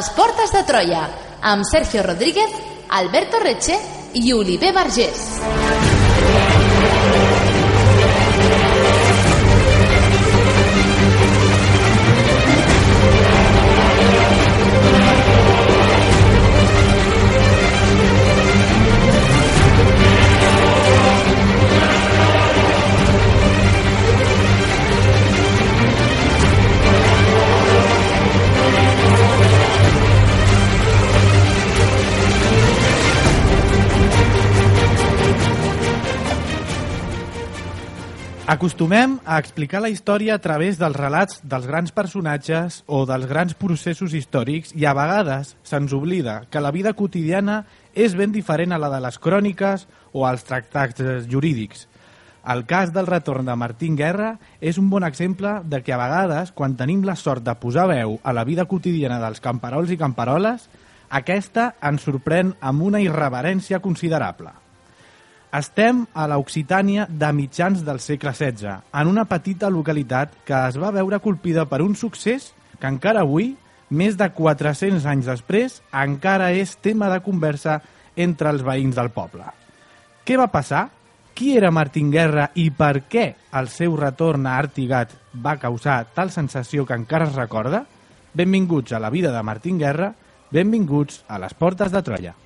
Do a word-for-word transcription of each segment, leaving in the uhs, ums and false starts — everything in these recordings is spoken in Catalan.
les portes de Troia, amb Sergio Rodríguez, Alberto Reche i Oliver Vergés. Acostumem a explicar la història a través dels relats dels grans personatges o dels grans processos històrics i a vegades se'ns oblida que la vida quotidiana és ben diferent a la de les cròniques o als tractats jurídics. El cas del retorn de Martín Guerra és un bon exemple de que a vegades, quan tenim la sort de posar veu a la vida quotidiana dels camperols i camperoles, aquesta ens sorprèn amb una irreverència considerable. Estem a l'Occitània de mitjans del segle setze, en una petita localitat que es va veure colpida per un succés que encara avui, més de quatre-cents anys després, encara és tema de conversa entre els veïns del poble. Què va passar? Qui era Martín Guerra i per què el seu retorn a Artigat va causar tal sensació que encara es recorda? Benvinguts a la vida de Martín Guerra, benvinguts a les portes de Troia.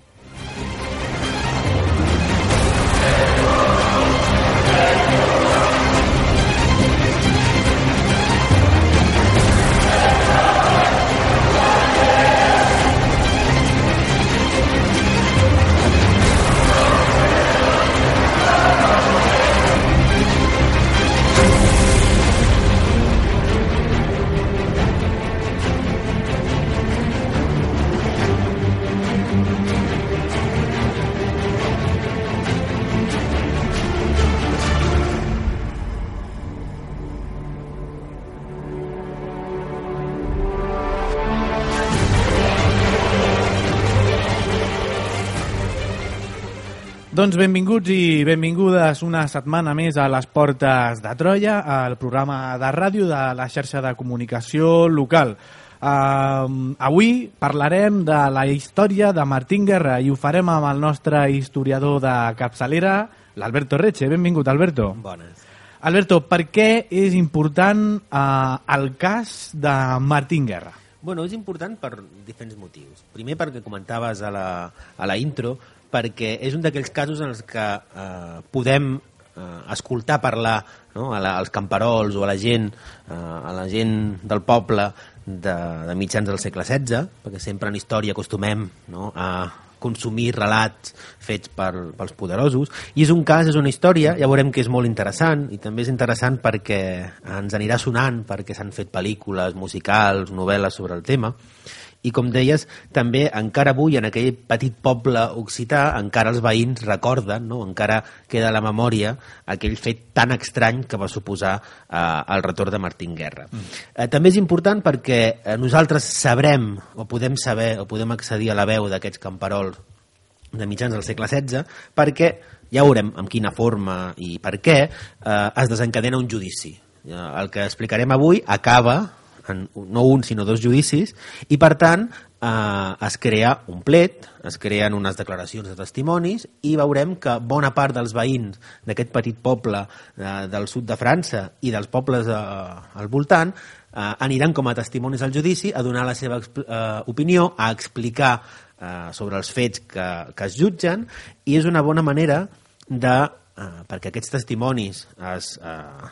Doncs benvinguts i benvingudes una setmana més a les portes de Troia, al programa de ràdio de la xarxa de comunicació local. Uh, avui parlarem de la història de Martín Guerra i ho farem amb el nostre historiador de capçalera, l'Alberto Reche. Benvingut, Alberto. Bones. Alberto, per què és important uh, el cas de Martín Guerra? Bueno, és important per diferents motius. Primer, perquè comentaves a la, a la intro, perquè és un d'aquells casos en els que eh, podem eh, escoltar parlar, no? a la, als camperols o a la gent, eh, a la gent del poble de, de mitjans del segle setze, perquè sempre en història acostumem, no? a consumir relats fets per, pels poderosos, i és un cas, és una història, ja veurem que és molt interessant, i també és interessant perquè ens anirà sonant, perquè s'han fet pel·lícules, musicals, novel·les sobre el tema. I com deies, també encara avui en aquell petit poble occità encara els veïns recorden, no? encara queda a la memòria aquell fet tan estrany que va suposar eh, el retorn de Martín Guerra. Mm. Eh, també és important perquè eh, nosaltres sabrem o podem saber o podem accedir a la veu d'aquests camperols de mitjans del segle setze perquè ja veurem amb quina forma i per què eh, es desencadena un judici. Eh, el que explicarem avui acaba en no un sinó dos judicis i per tant eh, es crea un plet, es creen unes declaracions de testimonis i veurem que bona part dels veïns d'aquest petit poble eh, del sud de França i dels pobles eh, al voltant eh, aniran com a testimonis al judici a donar la seva eh, opinió, a explicar eh, sobre els fets que, que es jutgen i és una bona manera de, eh, perquè aquests testimonis es, eh,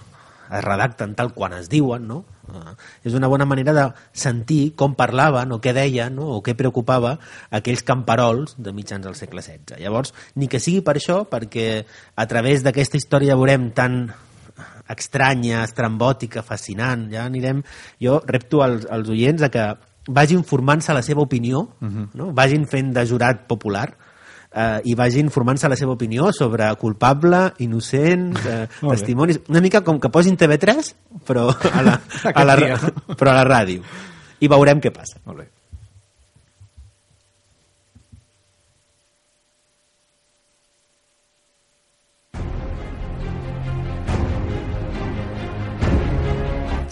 es redacten tal quan es diuen, no? Uh, és una bona manera de sentir com parlaven o què deien, no? O què preocupava aquells camperols de mitjans del segle setze. Llavors, ni que sigui per això, perquè a través d'aquesta història veurem tan estranya, estrambòtica, fascinant, ja anirem... Jo repto als, als oients a que vagin formant-se la seva opinió, uh-huh. no? Vagin fent de jurat popular, Uh, i vagin formant-se la seva opinió sobre culpable, innocent, uh, testimonis... Una mica com que posin T V tres, però a la, a la, però a la ràdio. I veurem què passa. Molt bé.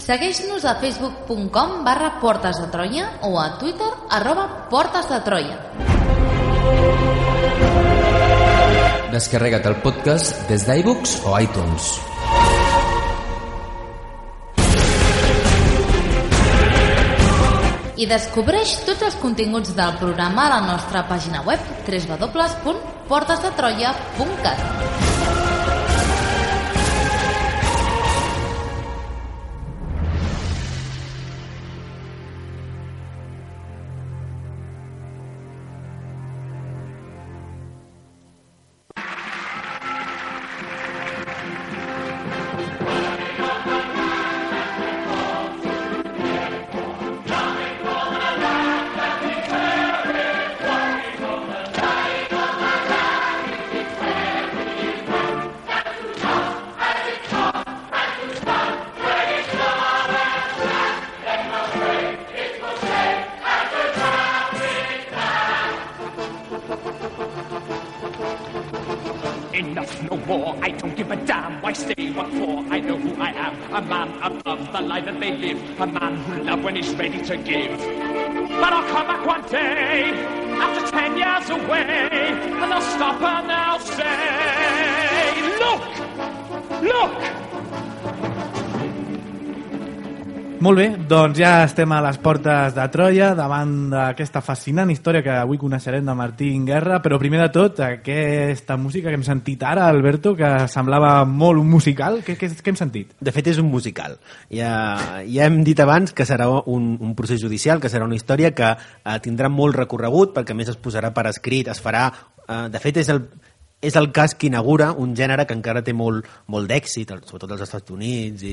Segueix-nos a facebook punt com barra Portes de Troia o a Twitter arroba Portes de Troia. Descarrega't el podcast des d'iVoox o iTunes. I descobreix tots els continguts del programa a la nostra pàgina web w w w punt portes de troia punt cat. Enough, no more, I don't give a damn. Why stay, what for? I know who I am. A man above the life that they live. A man who loves when he's ready to give. But I'll come back one day, after ten years away, and I'll stop and I'll say, look, look. Molt bé, doncs ja estem a les portes de Troia davant d'aquesta fascinant història que avui coneixerem de Martín Guerra, però primer de tot aquesta música que hem sentit ara, Alberto, que semblava molt un musical, què, què, què hem sentit? De fet és un musical. Ja, ja hem dit abans que serà un, un procés judicial, que serà una història que eh, tindrà molt recorregut, perquè a més es posarà per escrit, es farà... Eh, de fet és el... és el cas que inaugura un gènere que encara té molt, molt d'èxit, sobretot als Estats Units, i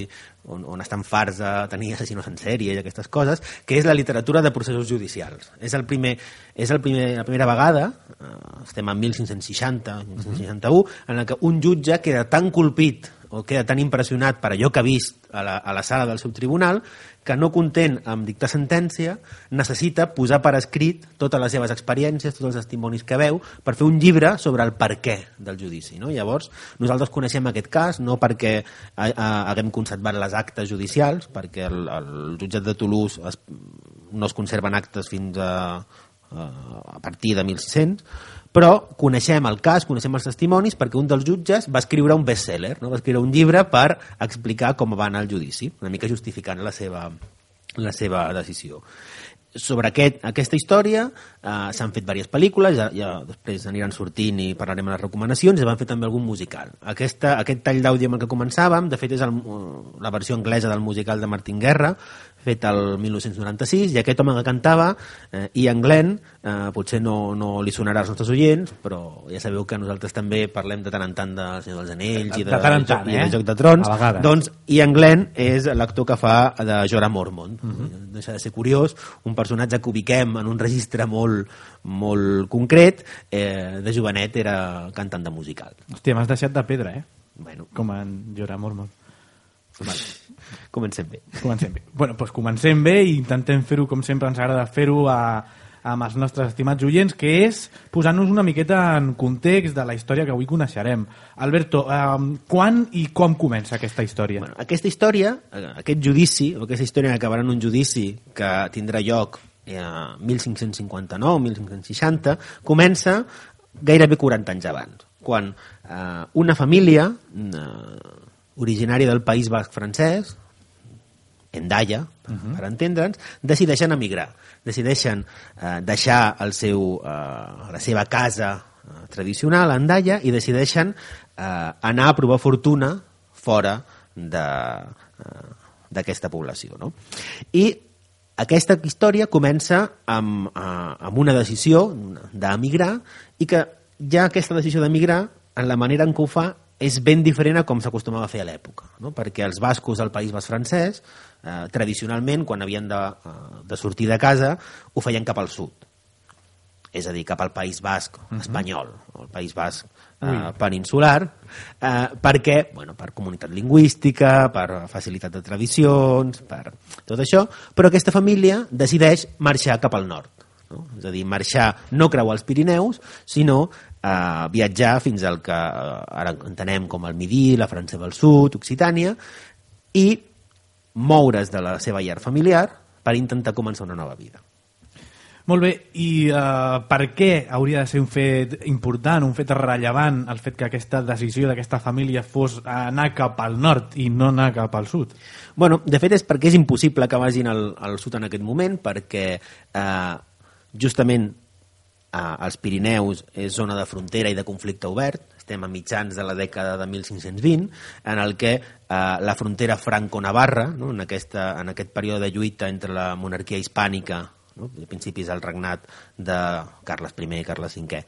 on, on estan farts de tenir assassinos en sèrie i aquestes coses, que és la literatura de processos judicials. És, el primer, és el primer, la primera vegada, eh, estem en mil cinc-cents seixanta, mil cinc-cents seixanta-u, en què un jutge queda tan colpit o queda tan impressionat per allò que ha vist a la, a la sala del seu tribunal que no content amb dictar sentència necessita posar per escrit totes les seves experiències, tots els testimonis que veu per fer un llibre sobre el perquè del judici, no? Llavors nosaltres coneixem aquest cas no perquè ha, ha, haguem conservat les actes judicials, perquè el, el jutjat de Toulouse es, no es conserven actes fins a, a, a partir de mil sis-cents, però coneixem el cas, coneixem els testimonis perquè un dels jutges va escriure un bestseller, no? Va escriure un llibre per explicar com va anar el judici, una mica justificant la seva, la seva decisió. Sobre aquest, aquesta història eh, s'han fet diverses pel·lícules, ja, ja després aniran sortint i parlarem de les recomanacions, i van fer també algun musical. Aquesta, aquest tall d'àudio amb el que començàvem, de fet és el, la versió anglesa del musical de Martín Guerra, fet el mil nou-cents noranta-sis, i aquest home que cantava, eh, Ian Glenn, eh, potser no, no li sonarà als nostres oients, però ja sabeu que nosaltres també parlem de tant en tant de Senyor dels Anells i de, de, tant tant, i de eh? Joc de Trons, doncs Ian Glenn és l'actor que fa de Jorah Mormont. Uh-huh. Deixa de ser curiós, un personatge que ubiquem en un registre molt, molt concret, eh, de jovenet era cantant de musical. Hòstia, m'has deixat de pedra, eh? Bueno. Com en Jorah Mormont. Vale. Comencem bé. Comencem bé. Bueno, doncs comencem bé i intentem fer-ho com sempre ens agrada fer-ho a, amb els nostres estimats oients, que és posar-nos una miqueta en context de la història que avui coneixerem. Alberto, eh, quan i com comença aquesta història? Bueno, aquesta història, aquest judici, o aquesta història que acabarà en un judici que tindrà lloc a eh, mil cinc-cents cinquanta-nou mil cinc-cents seixanta, comença gairebé quaranta anys abans, quan eh, una família eh, originària del País Basc francès, Hendaia, per, uh-huh. per entendre'ns, decideixen emigrar, decideixen eh, deixar el seu, eh, la seva casa eh, tradicional a Hendaia i decideixen eh, anar a provar fortuna fora de, eh, d'aquesta població. No? I aquesta història comença amb, eh, amb una decisió d'emigrar i que ja aquesta decisió d'emigrar, en la manera en què ho fa, és ben diferent a com s'acostumava a fer a l'època, no? Perquè els bascos del País Basc francès, eh, tradicionalment, quan havien de, de sortir de casa, ho feien cap al sud. És a dir, cap al País Basc uh-huh. espanyol, o el País Basc eh, peninsular, eh, perquè, bueno, per comunitat lingüística, per facilitat de tradicions, per tot això, però aquesta família decideix marxar cap al nord. No? És a dir, marxar, no creuar els Pirineus, sinó eh, viatjar fins al que eh, ara entenem com el Midí, la França del Sud, Occitània, i moure's de la seva llar familiar per intentar començar una nova vida. Molt bé, i uh, per què hauria de ser un fet important, un fet rellevant, el fet que aquesta decisió d'aquesta família fos anar cap al nord i no anar cap al sud? Bueno, de fet és perquè és impossible que vagin al, al sud en aquest moment, perquè eh, justament eh, els Pirineus és zona de frontera i de conflicte obert, estem a mitjans de la dècada de mil cinc-cents vint, en el que eh, la frontera franco-navarra, no, en, aquesta, en aquest període de lluita entre la monarquia hispànica, no, a principis del regnat de Carles I i Carles cinquè,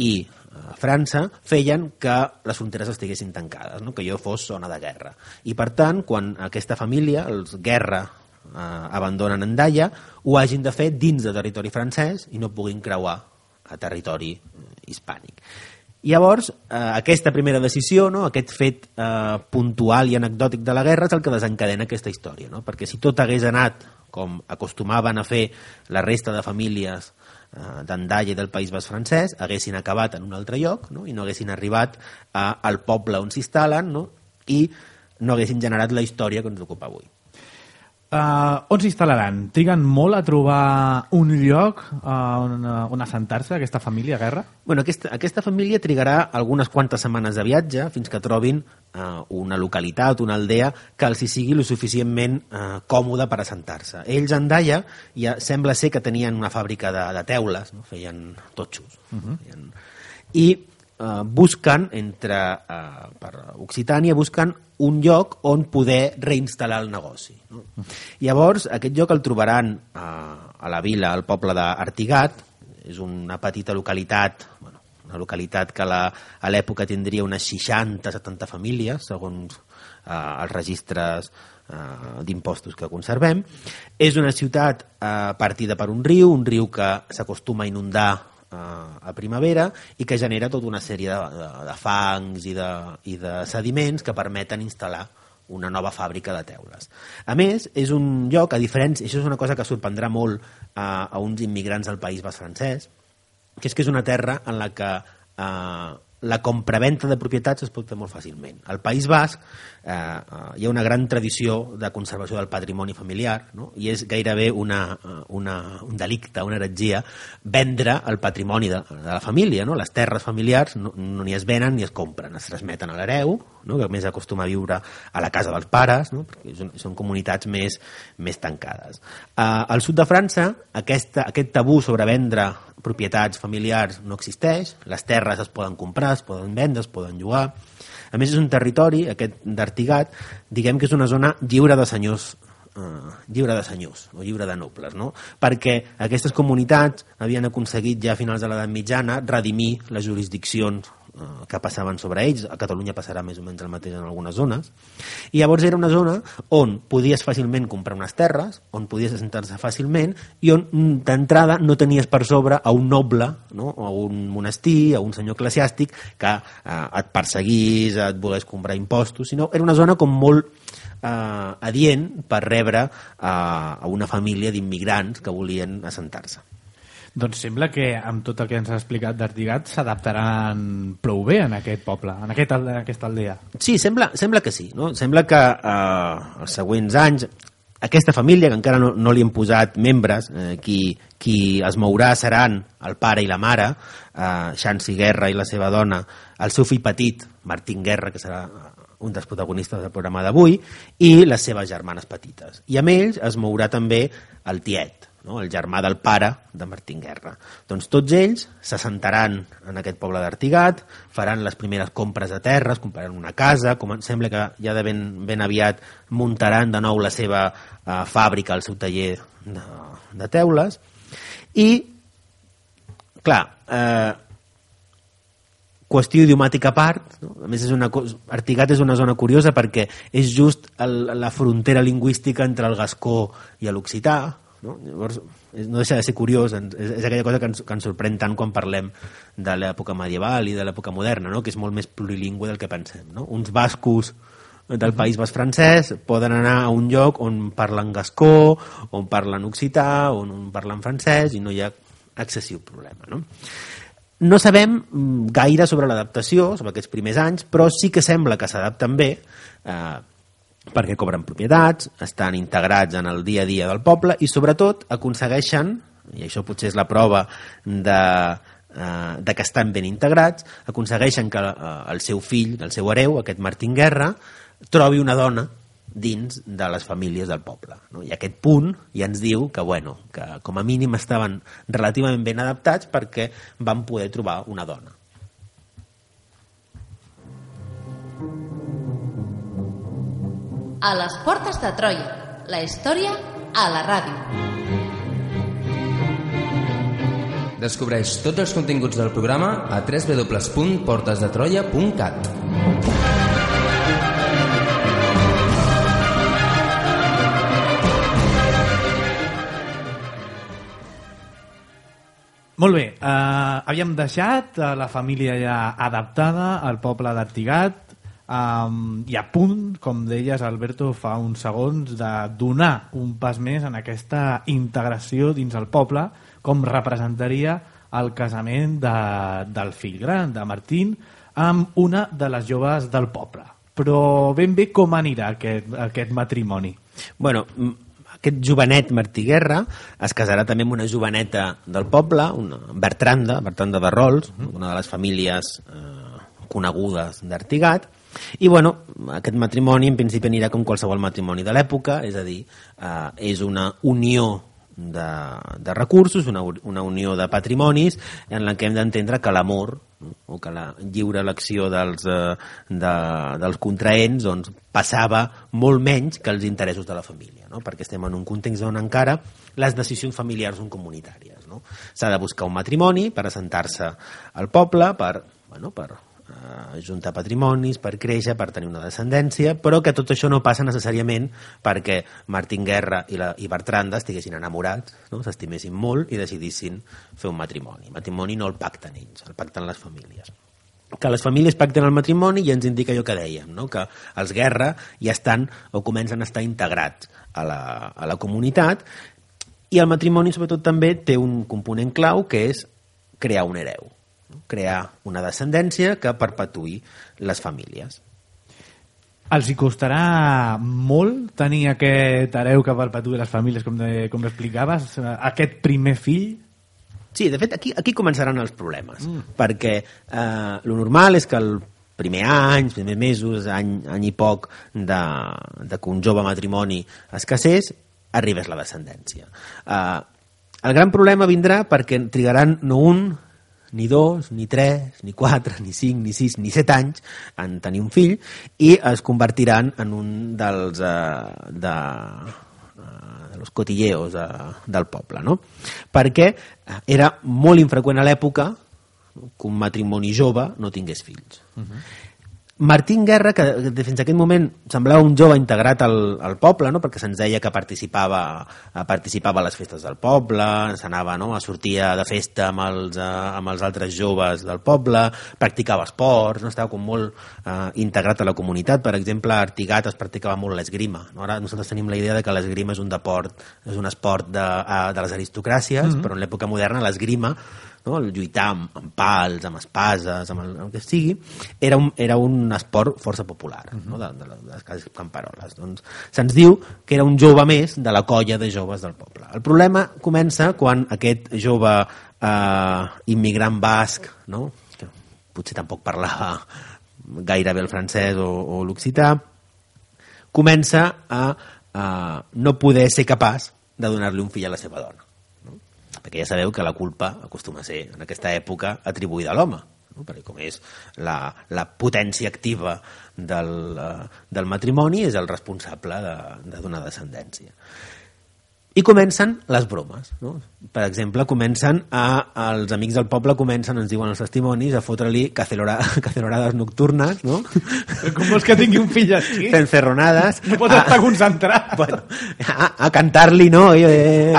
i eh, França, feien que les fronteres estiguessin tancades, no, que allò fos zona de guerra. I per tant, quan aquesta família, els Guerra, eh, abandonen Hendaia, ho hagin de fer dins de territori francès i no puguin creuar a territori hispànic. Llavors, eh, aquesta primera decisió, no, aquest fet eh, puntual i anecdòtic de la guerra és el que desencadena aquesta història, no? Perquè si tot hagués anat com acostumaven a fer la resta de famílies eh, d'Hendaia i del País Basc francès, haguessin acabat en un altre lloc, no? I no haguessin arribat a, al poble on s'instal·len, no? I no haguessin generat la història que ens ocupa avui. Uh, on s'instal·laran? Triguen molt a trobar un lloc uh, on, uh, on assentar-se, aquesta família Guerra? Bueno, aquesta, aquesta família trigarà algunes quantes setmanes de viatge fins que trobin uh, una localitat, una aldea que els hi sigui lo suficientment uh, còmode per assentar-se. Ells a Hendaia ja sembla ser que tenien una fàbrica de, de teules, no? Feien totxos. Uh-huh. Feien... I uh, busquen, entre, uh, per Occitània, busquen un lloc on poder reinstal·lar el negoci. No? Llavors, aquest lloc el trobaran a, a la vila, al poble d'Artigat. És una petita localitat, bueno, una localitat que la, a l'època tindria unes seixanta setanta famílies, segons eh, els registres eh, d'impostos que conservem. És una ciutat eh, partida per un riu, un riu que s'acostuma a inundar a primavera i que genera tota una sèrie de, de, de fangs i de, i de sediments que permeten instal·lar una nova fàbrica de teules. A més, és un lloc, a diferència, això és una cosa que sorprendrà molt a, a uns immigrants del País Basc francès, que és que és una terra en la que eh, la compraventa de propietats es pot fer molt fàcilment. Al País Basc eh, hi ha una gran tradició de conservació del patrimoni familiar, no? I és gairebé una, una, un delicte, una heretgia, vendre el patrimoni de, de la família. No? Les terres familiars no, no ni es venen ni es compren, es transmeten a l'hereu, no? Que més acostuma a viure a la casa dels pares, no? Perquè són, són comunitats més, més tancades. Eh, al sud de França, aquesta, aquest tabú sobre vendre propietats familiars no existeix, les terres es poden comprar, es poden vendre, es poden llogar. A més, és un territori, aquest d'Artigat, diguem que és una zona lliure de senyors, eh, lliure de senyors o lliure de nobles, no? Perquè aquestes comunitats havien aconseguit ja a finals de l'edat mitjana redimir les jurisdiccions eh, que passaven sobre ells. A Catalunya passarà més o menys el mateix en algunes zones. I llavors era una zona on podies fàcilment comprar unes terres, on podies assentar-se fàcilment i on d'entrada no tenies per sobre a un noble, no? A un monestir, a un senyor eclesiàstic que eh, et perseguís, et volgués comprar impostos, sinó era una zona com molt eh, adient per rebre eh, a una família d'immigrants que volien assentar-se. Doncs sembla que amb tot el que ens ha explicat d'Artigat s'adaptaran prou bé en aquest poble, en, aquest, en aquesta aldea. Sí, sembla, sembla que sí. No? Sembla que eh, els següents anys aquesta família, que encara no, no li han posat membres, eh, qui, qui es mourà seran el pare i la mare, eh, Xansi Guerra i la seva dona, el seu fill petit, Martín Guerra, que serà un dels protagonistes del programa d'avui, i les seves germanes petites. I amb ells es mourà també el tiet, no? El germà del pare de Martín Guerra. Doncs tots ells s'assentaran en aquest poble d'Artigat, faran les primeres compres de terres, compraran una casa, com sembla que ja de ben, ben aviat muntaran de nou la seva eh, fàbrica, el seu taller de, de teules, i clar, eh, qüestió idiomàtica a part, no? A més és una, Artigat és una zona curiosa perquè és just el, la frontera lingüística entre el gascó i l'occità, no? Llavors no deixa de ser curiós, és, és aquella cosa que ens, que ens sorprèn tant quan parlem de l'època medieval i de l'època moderna, no? Que és molt més plurilingüe del que pensem, no? Uns bascos del País Basc francès poden anar a un lloc on parlen gascó, on parlen occità, on, on parlen francès, i no hi ha excessiu problema, no? No sabem gaire sobre l'adaptació, sobre aquests primers anys, però sí que sembla que s'adapten bé, eh, perquè cobren propietats, estan integrats en el dia a dia del poble i sobretot aconsegueixen, i això potser és la prova de, eh, de que estan ben integrats, aconsegueixen que eh, el seu fill, el seu hereu, aquest Martín Guerra, trobi una dona dins de les famílies del poble, no? I aquest punt ja ens diu que, bueno, que com a mínim estaven relativament ben adaptats perquè van poder trobar una dona. A les portes de Troia, la història a la ràdio. Descobreix tots els continguts del programa a w w w punt portes de troia punt cat. Molt bé, eh, havíem deixat la família ja adaptada al poble d'Artigat, Um, i a punt, com deies Alberto fa uns segons, de donar un pas més en aquesta integració dins el poble, com representaria el casament de, del fill gran de Martín amb una de les joves del poble. Però ben bé com anirà aquest, aquest matrimoni? Bueno, aquest jovenet Martí Guerra es casarà també amb una joveneta del poble, una Bertranda, Bertranda de Rols, uh-huh. una de les famílies eh, conegudes d'Artigat. I bueno, aquest matrimoni en principi anirà com qualsevol matrimoni de l'època, és a dir, eh, és una unió de, de recursos, una, una unió de patrimonis en la que hem d'entendre que l'amor, no? o que la lliure elecció dels, eh, de, dels contraents doncs, passava molt menys que els interessos de la família, no? Perquè estem en un context on encara les decisions familiars són comunitàries, no? S'ha de buscar un matrimoni per assentar-se al poble, per, bueno, per juntar patrimonis, per créixer, per tenir una descendència, però que tot això no passa necessàriament perquè Martín Guerra i, la, i Bertranda estiguessin enamorats, no? S'estimessin molt i decidissin fer un matrimoni. El matrimoni no el pacten ells, el pacten les famílies. Que les famílies pacten el matrimoni ja ens indica allò que dèiem, no? Que els Guerra ja estan o comencen a estar integrats a la, a la comunitat, i el matrimoni sobretot també té un component clau que és crear un hereu, crear una descendència que perpetuï les famílies. Els hi costarà molt tenir aquest hereu que perpetuï les famílies, com, de, com explicaves, aquest primer fill? Sí, de fet, aquí, aquí començaran els problemes, mm. perquè eh, lo normal és que el primer any, primers mesos, any, any i poc de, de que un jove matrimoni es casés, arribés la descendència. Eh, el gran problema vindrà perquè trigaran no un, ni dos, ni tres, ni quatre, ni cinc, ni sis, ni set anys en tenir un fill i es convertiran en un dels uh, de, uh, de los cotilleos uh, del poble, no? Perquè era molt infreqüent a l'època que un matrimoni jove no tingués fills. Uh-huh. Martín Guerra, que fins a aquest moment semblava un jove integrat al, al poble, no? Perquè se'ns deia que participava, participava a les festes del poble, s'anava, no? a sortia de festa amb els, amb els altres joves del poble, practicava esports, no? Estava com molt eh, integrat a la comunitat. Per exemple, a Artigat es practicava molt l'esgrima. No? Ara nosaltres tenim la idea de que l'esgrima és un deport, és un esport de, de les aristocràcies, mm-hmm. però en l'època moderna l'esgrima, no? El lluitar amb, amb pals, amb espases, amb el, el que sigui, era un, era un esport força popular, uh-huh. no? de, de, de les cases camperoles. Doncs se'ns diu que era un jove més de la colla de joves del poble. El problema comença quan aquest jove eh, immigrant basc, no? que potser tampoc parlava gaire bé el francès o, o l'occità, comença a, a no poder ser capaç de donar-li un fill a la seva dona. Perquè ja sabeu que la culpa acostuma a ser, en aquesta època, atribuïda a l'home, no? Perquè com és la, la potència activa del, uh, del matrimoni, és el responsable de, de donar descendència. I comencen les bromes, no? Per exemple, comencen a, els amics del poble comencen, ens diuen els testimonis, a fotre-li cacelora, cacelorades nocturnes, no? Com vols que tingui un fill així? Fent ferronades. No pot estar concentrat. Bueno, a, a cantar-li, no? Eh,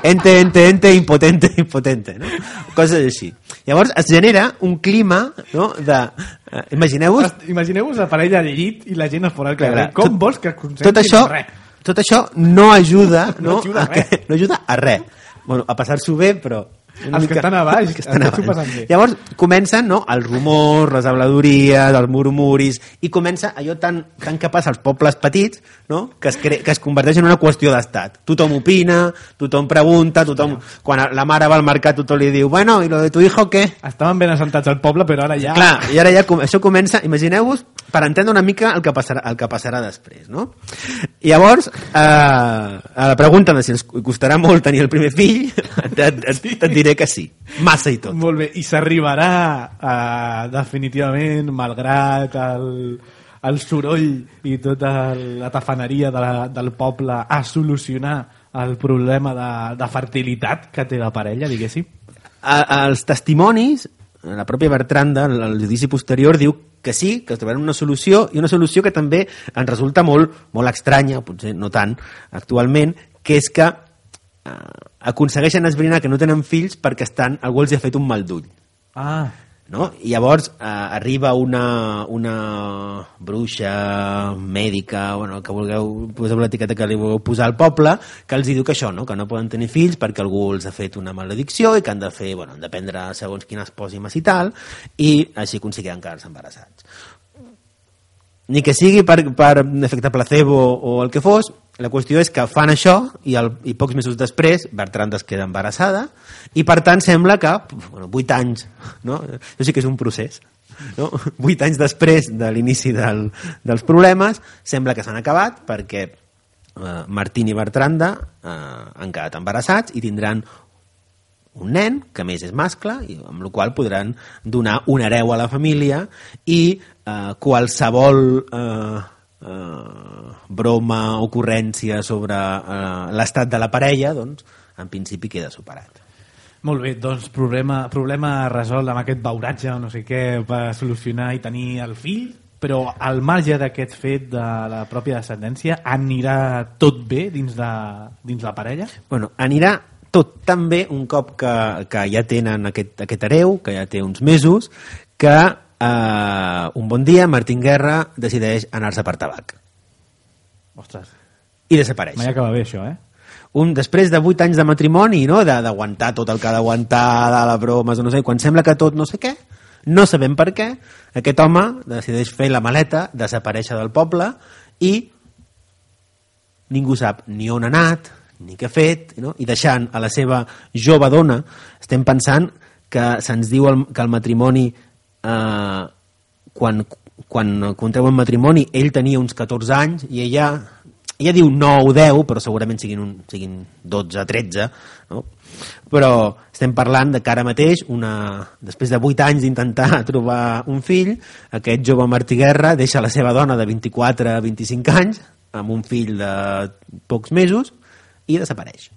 ente, ente, ente, impotente, impotente, no? Coses així. Llavors es genera un clima, no? De... Eh, imagineu-vos... Imagineu-vos la parella al llit i la gent a fora al carrer. Com tot, vols que es concentri tot això, en res? Tot això no ajuda, no, no ajuda, a, que, no ajuda a res. Bueno, a passar-s'ho bé, però Una els mica... que estan a baix, que estan a s'ho passen bé. Llavors comencen, no?, els rumors, les habladories, els murmuris, i comença allò tan, tan que passa als pobles petits, no?, que es, cre... que es converteix en una qüestió d'estat. Tothom opina, tothom pregunta, tothom... Quan la mare va al mercat tothom li diu, bueno, i lo de tu hijo què? Estaven ben assentats al poble, però ara ja... Clar, i ara ja com... això comença, imagineu-vos, per entendre una mica el que passarà, el que passarà després, no? I llavors, eh, a la pregunta de si ens costarà molt tenir el primer fill, et, et, et, et diré que sí, massa i tot. Molt bé, i s'arribarà eh, definitivament, malgrat el, el soroll i tota la tafaneria de la, del poble, a solucionar el problema de, de fertilitat que té la parella, diguéssim? A, els testimonis, la pròpia Bertranda, el judici posterior, diu que sí, que trobaran una solució, i una solució que també ens resulta molt, molt estranya, potser no tant actualment, que és que eh, aconsegueixen esbrinar que no tenen fills perquè estan, algú els ha fet un mal d'ull. Ah. No? I llavors eh, arriba una, una bruixa mèdica, bueno, que vulgueu, poseu l'etiqueta que li vulgueu posar al poble, que els diu que això, no? Que no poden tenir fills perquè algú els ha fet una maledicció i que han de fer, bueno, han de prendre segons quines pòsimes i tal, i així aconseguiran quedar-se embarassats. Ni que sigui per, per efecte placebo o el que fos, la qüestió és que fan això i, el, i pocs mesos després Bertrand es queda embarassada i per tant sembla que bueno, vuit anys, no? Això sí que és un procés, no? vuit anys després de l'inici del, dels problemes sembla que s'han acabat perquè eh, Martín i Bertranda eh, han quedat embarassats i tindran un nen, que a més és mascle, i amb el qual podran donar un hereu a la família i eh, qualsevol eh, eh, broma, ocurrència sobre eh, l'estat de la parella, doncs, en principi queda superat. Molt bé, doncs problema, problema resolt amb aquest beuratge o no sé què per solucionar i tenir el fill, però al marge d'aquest fet de la pròpia descendència, anirà tot bé dins, de, dins la parella? Bueno, anirà tot tan bé un cop que, que ja tenen aquest, aquest hereu, que ja té uns mesos, que eh, un bon dia Martín Guerra decideix anar-se per tabac. Ostres. I desapareix. Mai acaba bé això, eh? Un, després de vuit anys de matrimoni, no? D'aguantar tot el que ha d'aguantar, de la bromes, no sé, quan sembla que tot no sé què, no sabem per què, aquest home decideix fer la maleta, desaparèixer del poble i ningú sap ni on ha anat, ni què ha fet, no? I deixant a la seva jove dona, estem pensant que se'ns diu el, que el matrimoni eh, quan, quan contrauen matrimoni ell tenia uns catorze anys i ella, ella diu nou o deu, però segurament siguin, un, siguin dotze, tretze, no? Però estem parlant de que ara mateix una, després de vuit anys d'intentar trobar un fill, aquest jove Martí Guerra deixa la seva dona de vint-i-quatre a vint-i-cinc anys amb un fill de pocs mesos i desapareix.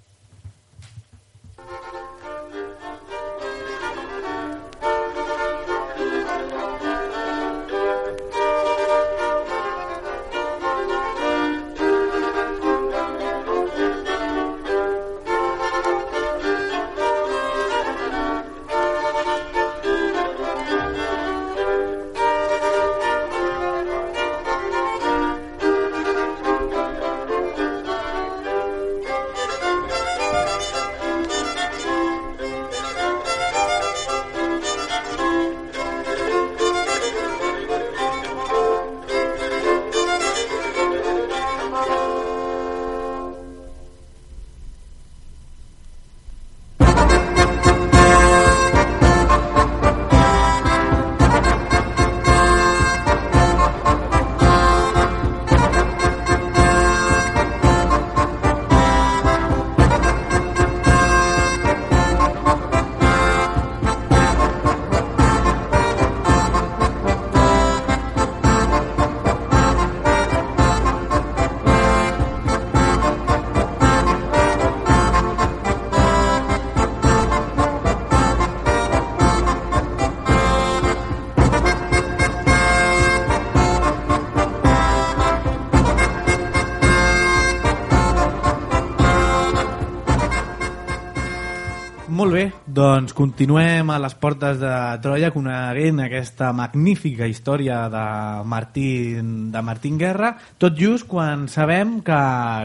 Molt bé, doncs continuem a les portes de Troia coneguent aquesta magnífica història de Martín, de Martín Guerra, tot just quan sabem que,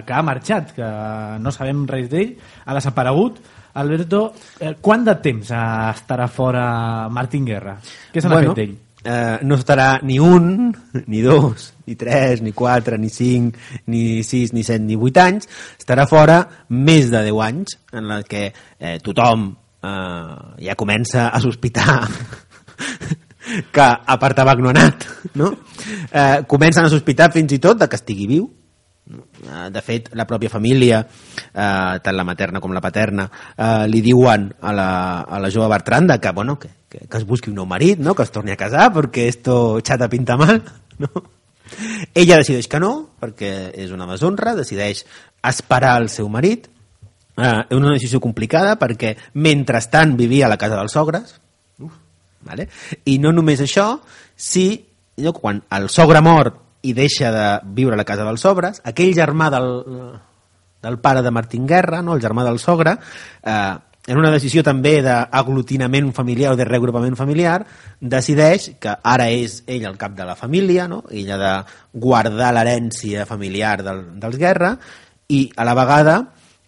que ha marxat, que no sabem res d'ell, ha desaparegut, Alberto, eh, quant de temps estarà fora Martín Guerra? Què se n'ha bueno, fet d'ell? Eh, no estarà ni un, ni dos, ni tres, ni quatre, ni cinc, ni sis, ni set, ni vuit anys. Estarà fora més de deu anys, en la que eh, tothom eh, ja comença a sospitar que a part tabac no ha anat, no? Eh, comencen a sospitar fins i tot de que estigui viu. De fet, la pròpia família, eh, tant la materna com la paterna, eh, li diuen a la, a la jove Bertranda que, bueno, que, que, que es busqui un nou marit, no? Que es torni a casar perquè esto chata pinta mal, no? Ella decideix que no, perquè és una deshonra, decideix esperar el seu marit. Eh, és una decisió complicada perquè mentrestant vivia a la casa dels sogres. Uf, vale? I no només això, si no, quan el sogre mor i deixa de viure a la casa dels sogres, aquell germà del, del pare de Martín Guerra, no? El germà del sogre, eh, en una decisió també d'aglutinament familiar o de reagrupament familiar, decideix que ara és ell el cap de la família, no? Ell ha de guardar l'herència familiar del, dels Guerra i a la vegada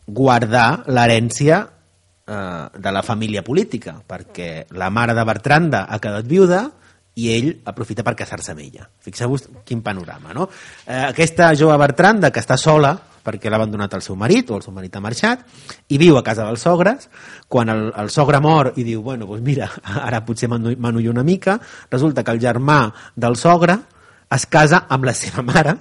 guardar l'herència eh, de la família política, perquè la mare de Bertranda ha quedat viuda i ell aprofita per casar-se amb ella. Fixeu-vos quin panorama, no? Eh, aquesta jove Bertranda, que està sola perquè l'ha abandonat el seu marit, o el seu marit ha marxat, i viu a casa dels sogres, quan el, el sogre mor i diu, bueno, doncs mira, ara potser m'anullo una mica, resulta que el germà del sogre es casa amb la seva mare,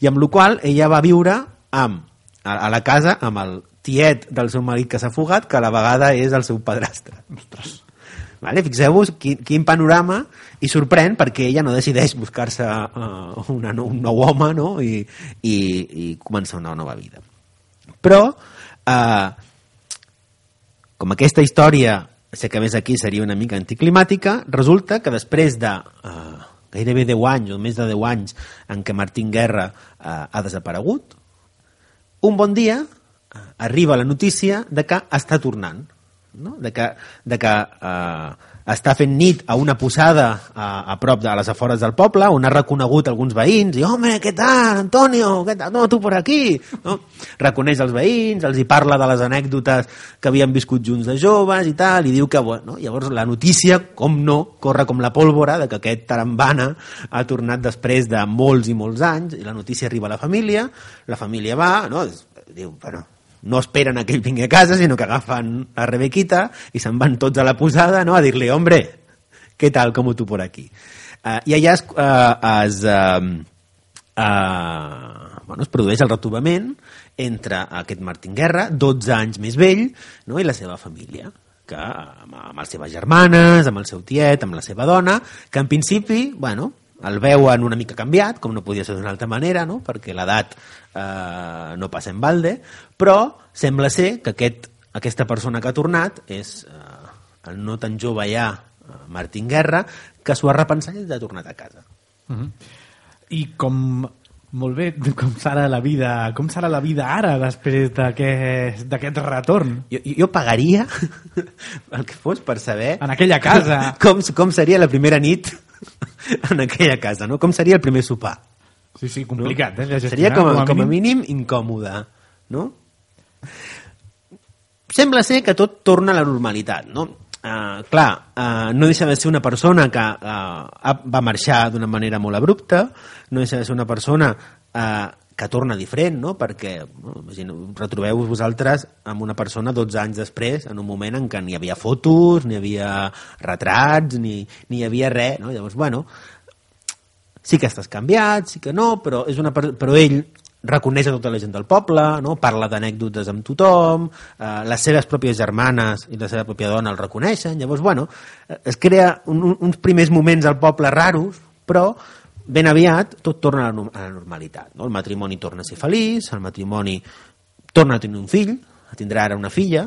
i amb la qual ella va viure amb, a, a la casa amb el tiet del seu marit que s'ha fugat, que a la vegada és el seu padrastre. Ostres! Vale? Fixeu-vos quin, quin panorama, i sorprèn perquè ella no decideix buscar-se uh, una, un nou home, no? I, i, i començar una nova vida. Però uh, com aquesta història, sé que més aquí seria una mica anticlimàtica, resulta que després de uh, gairebé deu anys o més de deu anys en què Martín Guerra uh, ha desaparegut, un bon dia uh, arriba la notícia de que està tornant, no? De que, de que eh, està fent nit a una posada a, a prop de a les afores del poble, on ha reconegut alguns veïns i, home, què tal, Antonio? Què tal? No, tu per aquí, no? Reconeix els veïns, els hi parla de les anècdotes que havien viscut junts de joves i tal, i diu que, bueno, llavors la notícia, com no, corre com la pólvora de que aquest tarambana ha tornat després de molts i molts anys, i la notícia arriba a la família, la família va, no? Diu, bueno, no esperen a que ell vingui a casa, sinó que agafen a Rebequita i se'n van tots a la posada, no? A dir-li, hombre, què tal, com tu por aquí? Uh, I allà es, uh, es, uh, uh, bueno, es produeix el retrobament entre aquest Martín Guerra, dotze anys més vell, no? I la seva família, que amb, amb les seves germanes, amb el seu tiet, amb la seva dona, que en principi, bueno, el veuen una mica canviat, com no podia ser d'una altra manera, no? Perquè l'edat eh, no passa en balde, però sembla ser que aquest, aquesta persona que ha tornat és eh, el no tan jove ja Martín Guerra, que s'ho ha repensat i ha tornat a casa. Uh-huh. I com molt bé, com serà la vida, com serà la vida ara després d'aquest d'aquest retorn? Jo, jo pagaria el que fos per saber en aquella casa com, com seria la primera nit en aquella casa, no? Com seria el primer sopar? Sí, sí, complicat, no? Eh? Seria com a, com a, com a mínim incòmode, no? Sembla ser que tot torna a la normalitat, no? Uh, clar, uh, no deixa de ser una persona que uh, va marxar d'una manera molt abrupta, no deixa de ser una persona uh, que torna diferent, no? Perquè no, retrobeu-vos vosaltres amb una persona dotze anys després, en un moment en què ni hi havia fotos, ni hi havia retrats, ni, ni hi havia res, no? Llavors, bueno, sí que estàs canviat, sí que no, però, és una, però ell reconeix a tota la gent del poble, no? Parla d'anècdotes amb tothom, eh, les seves pròpies germanes i la seva pròpia dona el reconeixen, llavors, bueno, es crea un, uns primers moments al poble raros, però ben aviat tot torna a la, a la normalitat, no? El matrimoni torna a ser feliç, el matrimoni torna a tenir un fill, tindrà ara una filla,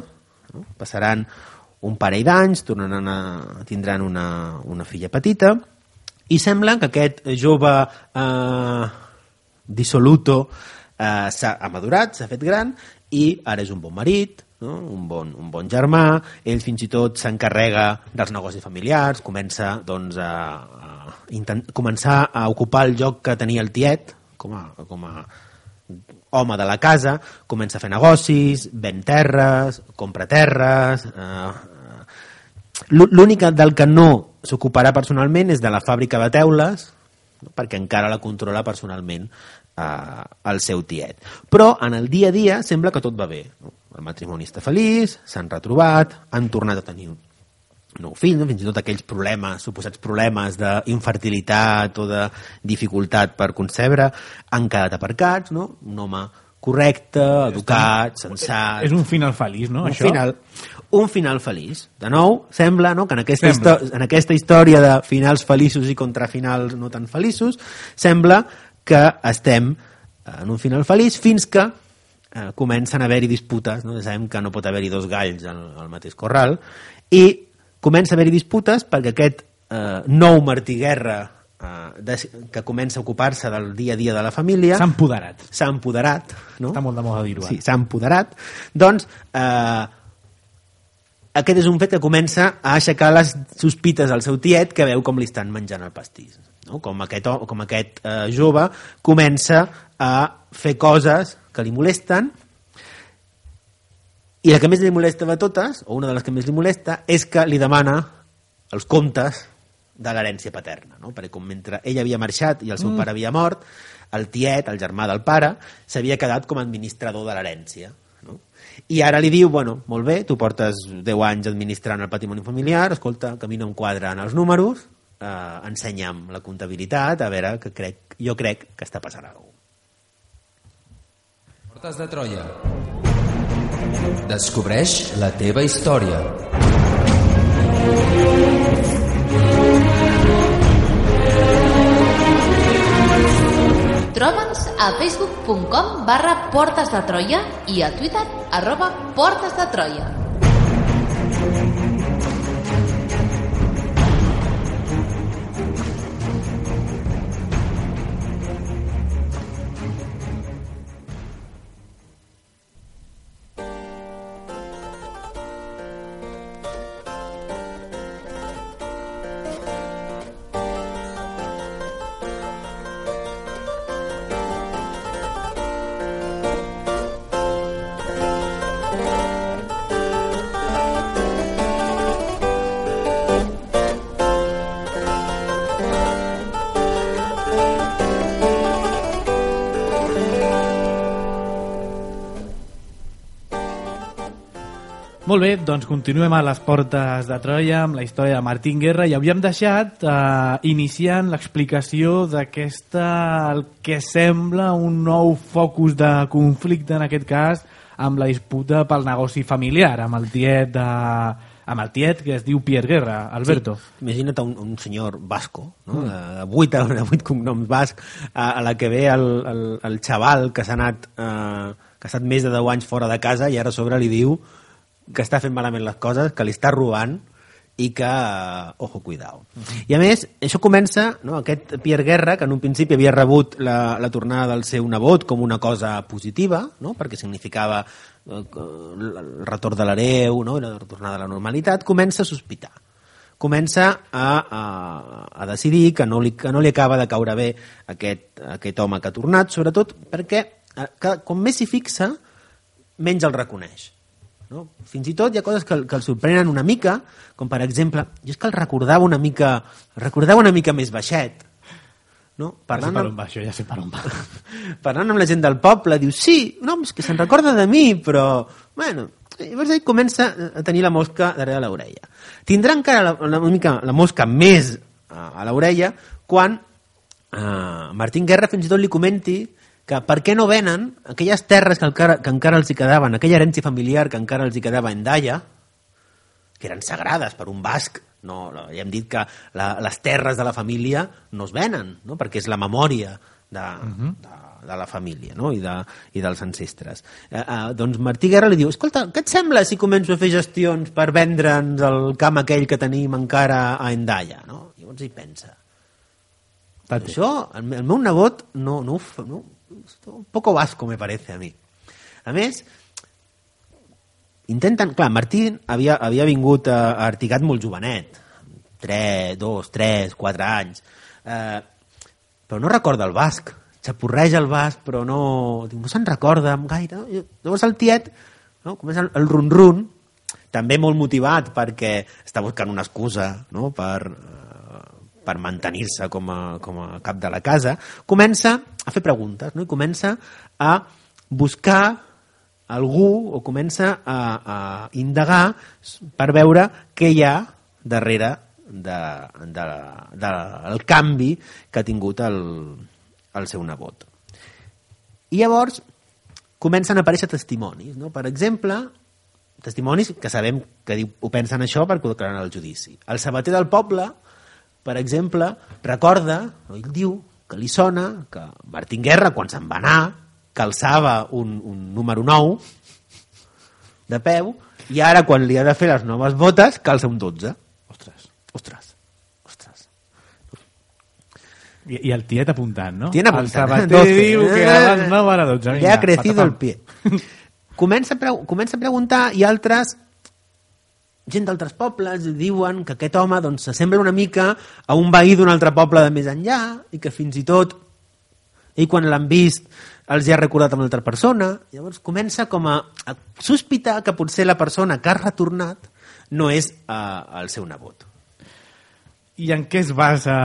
no? Passaran un parell d'anys, tornaran a, tindran una, una filla petita, i sembla que aquest jove eh, dissoluto eh, s'ha amadurat, s'ha fet gran, i ara és un bon marit, no? un, bon, un bon germà, ell fins i tot s'encarrega dels negocis familiars, comença doncs, a, a intent, començar a ocupar el lloc que tenia el tiet, com a, com a home de la casa, comença a fer negocis, ven terres, compra terres... Eh, L'únic del que no s'ocuparà personalment és de la fàbrica de teules, perquè encara la controla personalment eh, el seu tiet. Però en el dia a dia sembla que tot va bé. No? El matrimoni està feliç, s'han retrobat, han tornat a tenir un nou fill, no? Fins i tot aquells problemes, suposats problemes d'infertilitat o de dificultat per concebre, han quedat aparcats, no? Un home correcte, educat, sensat... És un final feliç, no, un això? Final, un final feliç. De nou, sembla, no?, que en aquesta, en aquesta història de finals feliços i contrafinals no tan feliços, sembla que estem en un final feliç fins que eh, comencen a haver-hi disputes, no? Sabem que no pot haver-hi dos galls al, al mateix corral, i comença a haver-hi disputes perquè aquest eh, nou Martí Guerra De, que comença a ocupar-se del dia a dia de la família s'ha empoderat s'ha empoderat, no? Està molt de moda dir-ho. Sí, s'ha empoderat. Doncs eh, aquest és un fet que comença a aixecar les sospites al seu tiet, que veu com li estan menjant el pastís, no? Com aquest, com aquest eh, jove comença a fer coses que li molesten, i la que més li molesta de totes, o una de les que més li molesta, és que li demana els comptes de l'herència paterna, no? Perquè com mentre ell havia marxat i el seu mm. pare havia mort, el tiet, el germà del pare, s'havia quedat com a administrador de l'herència, no? I ara li diu, bueno, molt bé, tu portes deu anys administrant el patrimoni familiar, escolta, que a mi no em quadren els números, eh, ensenya'm la comptabilitat, a veure, que crec, jo crec que està passant alguna cosa. Portes de Troia. Descobreix la teva història. Troba'ns a facebook punt com barra Portes de Troia i a Twitter arroba Portes de Troia. Molt bé, doncs continuem a les Portes de Troia amb la història de Martín Guerra i havíem deixat eh, iniciant l'explicació d'aquesta, el que sembla un nou focus de conflicte en aquest cas amb la disputa pel negoci familiar amb el tiet de, amb el tiet que es diu Pierre Guerra, Alberto. Sí, imagina't un, un senyor basco, no? Mm. de vuit, de vuit cognoms basc, a, a la que ve el, el, el xaval que s'ha anat eh, que ha estat més de deu anys fora de casa i ara a sobre li diu que està fent malament les coses, que li està robant i que, uh, ojo, cuidao. Uh-huh. I a més, això comença, no, aquest Pierre Guerra, que en un principi havia rebut la, la tornada del seu nebot com una cosa positiva, no, perquè significava uh, el retorn de l'hereu, no, i la tornada a la normalitat, comença a sospitar. Comença a, a, a decidir que no, li, que no li acaba de caure bé aquest, aquest home que ha tornat, sobretot perquè que, com més s'hi fixa, menys el reconeix. No? Fins i tot hi ha coses que, que el sorprenen una mica, com per exemple, jo és que el recordava una mica, el recordava una mica més baixet, no? Parlant ja sé per on va això, ja sé per on va. Parlant amb la gent del poble, diu, sí, no, és que se'n recorda de mi, però, bueno, llavors ell comença a tenir la mosca darrere l'orella. Tindrà encara la, la, mica, la mosca més a, a l'orella quan eh, Martín Guerra fins i tot li comenti que per què no venen aquelles terres que encara, que encara els hi quedaven, aquella herència familiar que encara els hi quedava en Daia, que eren sagrades per un basc. No, no, ja hem dit que la, les terres de la família no es venen, no? Perquè és la memòria de, uh-huh. de, de la família, no? I, de, i dels ancestres. Eh, eh, doncs Martí Guerra li diu, escolta, què et sembla si començo a fer gestions per vendre'ns el camp aquell que tenim encara a Endaia? No? Llavors hi pensa. Tate. Això, el, el meu nebot no, no, no, un poco vasco me parece a mi. A més, intenten... Clar, Martí havia, havia vingut a, a Artigat molt jovenet, tres, dos, tres, quatre anys, eh, però no recorda el basc. xapurreja el vas, però no, diu, no se'n recorda gaire. Llavors el tiet, no, comença el, el run-run, també molt motivat perquè està buscant una excusa, no, per, uh, per mantenir-se com a, com a cap de la casa, comença a fer preguntes, no? I comença a buscar algú o comença a, a indagar per veure què hi ha darrere de, de, de, del canvi que ha tingut el, el seu nebot. I llavors comencen a aparèixer testimonis, no? Per exemple, testimonis que sabem que diu, ho pensen això perquè ho declaren al judici. El sabater del poble, per exemple, recorda, no? Ell diu que li sona que Martín Guerra, quan se'n va anar, calçava un, un número nou de peu i ara, quan li ha de fer les noves botes, calça un dotze. Ostres, ostres, ostres. I, i el tiet apuntant, no? Tiene apuntant. El sabater eh? diu que a les nou a les dotze. Le ha crecido el pie. Comença a, pre comença a preguntar i altres, gent d'altres pobles, diuen que aquest home doncs, s'assembla una mica a un veí d'un altre poble de més enllà i que fins i tot ell quan l'han vist els hi ha recordat amb una altra persona. Llavors comença com a, a sospitar que potser la persona que ha retornat no és uh, el seu nebot. I en què es basa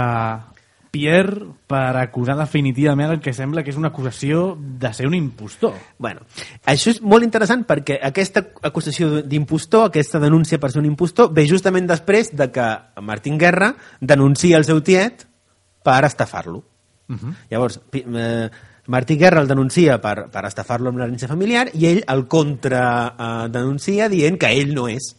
Pierre per acusar definitivament el que sembla que és una acusació de ser un impostor? Bueno, això és molt interessant perquè aquesta acusació d'impostor, aquesta denúncia per ser un impostor, ve justament després de que Martín Guerra denuncia el seu tiet per estafar-lo. Uh-huh. Llavors, eh, Martí Guerra el denuncia per, per estafar-lo amb l'herència familiar i ell el contra eh, denuncia dient que ell no és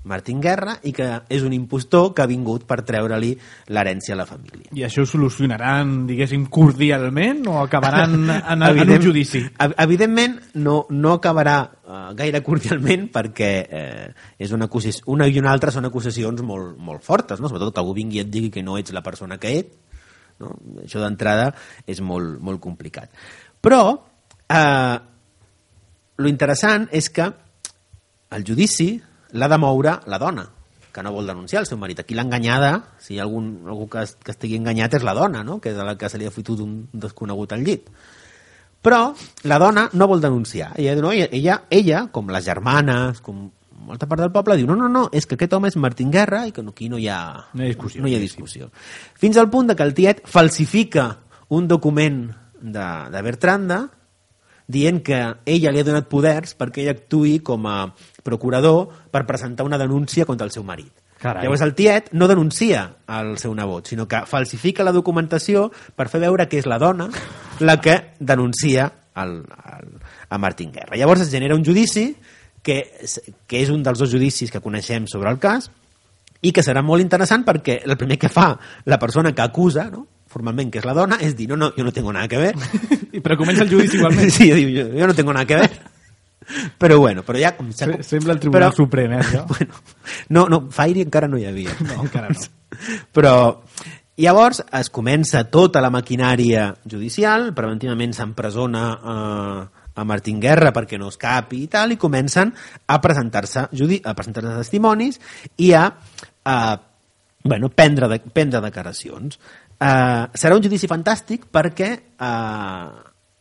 Martín Guerra i que és un impostor que ha vingut per treure-li l'herència a la família. I això ho solucionaran, diguéssim, cordialment o acabaran en, en un judici? Evidentment no, no acabarà uh, gaire cordialment perquè eh, és una, acusació, una i una altra són acusacions molt, molt fortes, no? Sobretot que algú vingui i et digui que no ets la persona que ets, no? Això d'entrada és molt, molt complicat. Però eh, lo interessant és que el judici l'ha de moure la dona, que no vol denunciar el seu marit. Aquí l'enganyada, si hi ha algun, algú que, que estigui enganyat, és la dona, no? Que és la que se li ha fotut un desconegut al llit. Però la dona no vol denunciar. Ella, no, ella, ella, com les germanes, com molta part del poble, diu no, no, no, és que aquest home és Martín Guerra i que aquí no hi ha, no hi ha discussió. No hi ha discussió. Fins al punt de que el tiet falsifica un document de, de Bertranda dient que ella li ha donat poders perquè ella actuï com a procurador per presentar una denúncia contra el seu marit. Carai. Llavors el tiet no denuncia el seu nebot, sinó que falsifica la documentació per fer veure que és la dona la que denuncia el, el, a Martín Guerra. Llavors es genera un judici que, que és un dels dos judicis que coneixem sobre el cas i que serà molt interessant perquè el primer que fa la persona que acusa, no? Formalment, que és la dona, és dir, no, no, jo no tengo nada que ver. Però comença el judici igualment. Sí, diu, jo, jo no tengo nada que ver. Però bueno, però ja... Com, Se, sembla el Tribunal però, Suprem, eh, això? Bueno, no, no, Fairy encara no hi havia. No, encara no. Però llavors es comença tota la maquinària judicial, preventivament s'empresona eh, a Martín Guerra perquè no escapi i tal, i comencen a presentar-se a presentar-se testimonis i a, a bueno, prendre, de, prendre declaracions. Uh, serà un judici fantàstic perquè uh,